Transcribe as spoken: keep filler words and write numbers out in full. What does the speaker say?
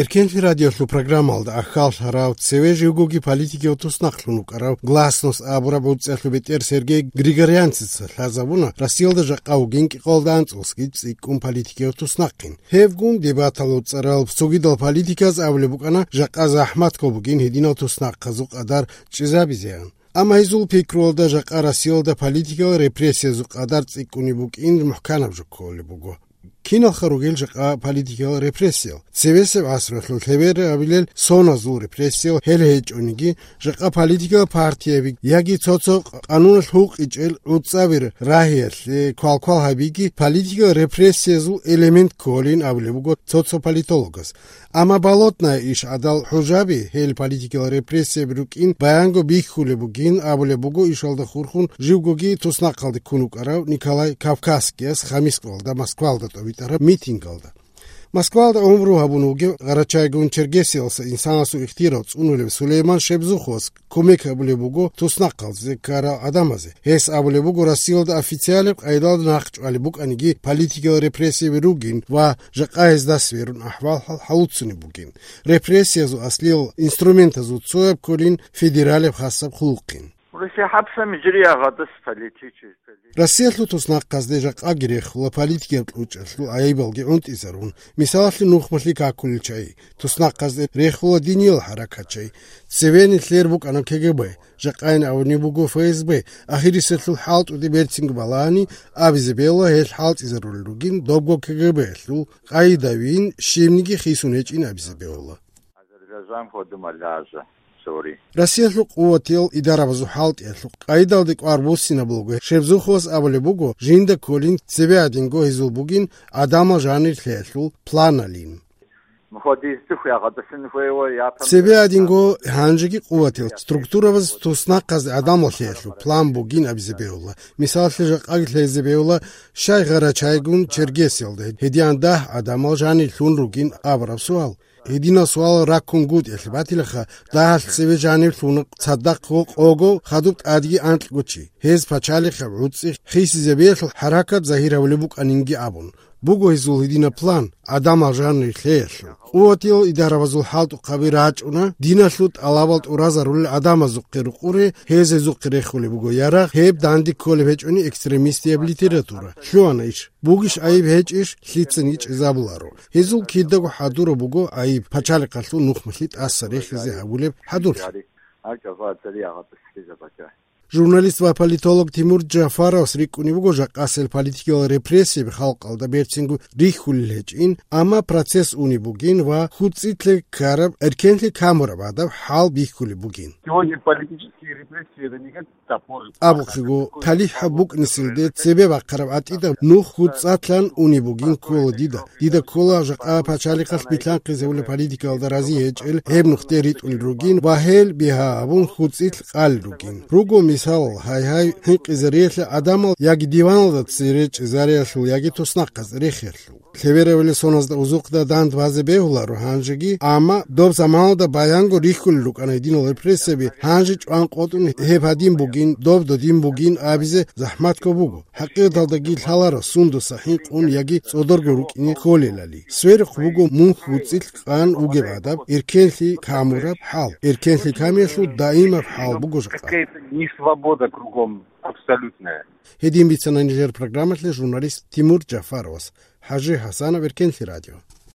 Эркенлъи радиолъул программалда ахьаллъарав, цеве живгоги политикияв туснахълъун вукӀарав Гласность абураб гӀурцӀиялъул бетӀер Сергей Григорянцица лъазабуна Россиялда жакъа вугин кӀикъоялда анцӀгосги цӀикӀкӀун политикияв туснахъин. Гьевгун дебаталда цӀарал цогидал политиказ абулеб букӀана жакъа захӀматго бугин гьединал туснахъазул къадар чӀезабизеян. Амма гьезул пикруялда жакъа Россиялда политикиял репрессиязул къадар цӀикӀкӀунеб букӀин мухӀканаб жо кколеб буго. Киналха ругел жакъа политикиял репрессиял? Цевесеб гӀасруялъул лъеберабилел соназул репрессиял гьел гьечӀониги, жакъа политикиял партияби яги цо-цо къануналъ гьукъичӀел гӀуцӀаби рагьиялъе квалквал гьабиги политикиял репрессиязул элемент кколин абулеб буго цо-цо политологас. Амма Болотная иш гӀадал хӀужаби, гьел политикиял репрессияби рукӀин баянго бихьулеб бугин абулеб буго ишалда хурхун живгоги туснахъалде ккун вукӀарав Николай Кавказскияс хамис кӀалда Москвалда тӀобитӀараб митингалда. Москвалда гӀумру гьабун вугев Гъарачайгун Чергесиялса инсанасул ихтияр цӀунулев Сулейман Шебзуховас кумек гьабулеб буго туснахъалде ккарал гӀадамазе. Гьес абулеб буго Россиялда официалаб къайдалда нахъ чӀвалеб букӀаниги политикиял репрессияби ругин ва жакъа гьезда сверун ахӀвал-хӀал гьалуцунеб бугин. Репрессиязул аслиял инструментазул цояб кколин федералаб хасаб хъулухъин. Россия хӀапсами жириягъадас политический. Россиялъул туснахъазде жакъаги рехула политикиял кьучӀалъул гӀайибалги гӀунтӀизарун, мисалалъе, нухмалъи какулел чагӀи, туснахъазде рехула диниял хӀаракатчагӀи, цеве нилъер букӀана КГБ, жакъайин абунеб буго ФСБ, ахириселъул хӀалтӀуде берцинго балагьани абизе бегьула, гьел хӀалтӀизарулел ругин добго КГБ-ялъул къайдавин, щибниги хисун гьечӀин абизе бегьула. Азербайжан ходумалажа, сори. Россиялъул къуватиял идарабазул хӀалтӀиялъул къайдалде кӀвар буссинаб буго, Шебзуховас абулеб буго, жинда кколин цебе гьадинго гьезул бугин гӀадамал жанирлъиялъул планалин. Муходистухъ ягъадасин хвейва япан. Цебе гьадинго гьанжеги къуватиял структурабаз туснахъазде гӀадамал лъиялъул план бугин абизе бегьула. Мисалалъе, жакъаги лъезе бегьула, щай Гъарачайгун Чергесиялда гьедигӀан дагь гӀадамал жанирлъун ругин абураб суал. Гьединал суал раккунгутӀиялъе батилаха, дагьалъ цеве жанирлъуна цадахъго къого хадуб тӀадги анкьго чи, гьез пачалихъаб гӀуцӀи хисизабиялъул хӀаракат загьир гьавулеб букӀанинги абун. Буго гьезул гьединаб план, гӀадамал жанирлъиялъул. Къуватиял идарабазул хӀалтӀухъаби рачӀуна, диналъул тӀалабал тӀуразарулел гӀадамазухъе рукъуре, гьез гьезухъе рехулеб буго ярагъ, гьеб данде кколеб гьечӀони экстремистияб литература. Лъугьана иш. Бугищ гӀайиб гьечӀищ, лъицаниги чӀезабуларо. Гьезул кидаго хӀадураб буго гӀайиб, пачалихъалъул нухмалъи тӀаса рехизе гьабулеб хӀадурлъи. Журналист ва политолог Тимур Джафаровас рикӀкӀунеб буго жакъасел политикиял репрессияби халкъалда берцинго рихьулел гьечӀин, амма процесс унеб бугин ва хӀуцӀитлъи ккараб, эркенлъи камураб гӀадаб хӀал бихьулеб бугин. Сегодня политические репрессии — это не как топор. Абухъего, талихӀ букӀнисилде цебе бахъараб гӀатӀида нух хӀуцӀатлъан унеб бугин ккола дида. Дида ккола жакъа пачалихъалъ билълъанхъизе гьавулеб политикаялда рази гьечӀел гьеб нухде ритӀулел ругин ва гьел бигьа абун хӀуцӀилъ къалел ругин. Руго мисал, гьай-гьай, хӀинкъизариялъе гӀадамал яги диваналда цере чӀезариялъул, яги туснахъаз рехиялъул. Лъеберабилел соназда узухъда дандбазе бегьуларо гьанжеги, амма доб заманалда баянго рихьулел рукӀана гьединал репрессияби, гьанже чӀван къотӀун гьеб гьадин бугин, доб додин бугин абизе захӀматго буго. ХӀакъикъаталдаги лъаларо сундаса хӀинкъун яги цӀодорго рукӀине кколелали. Сверухъ буго мун хӀуцӀилъ къан вугеб гӀадаб, эркенлъи камураб хӀал. Эркенлъи камиялъул даимаб хӀал буго жакъа. Какая-то несвобода кругом абсолютная. Гьедин бицана нижер программалъе журналист Тимур Джафаровас. ХӀажи ХӀасанов, Эркенлъи радио.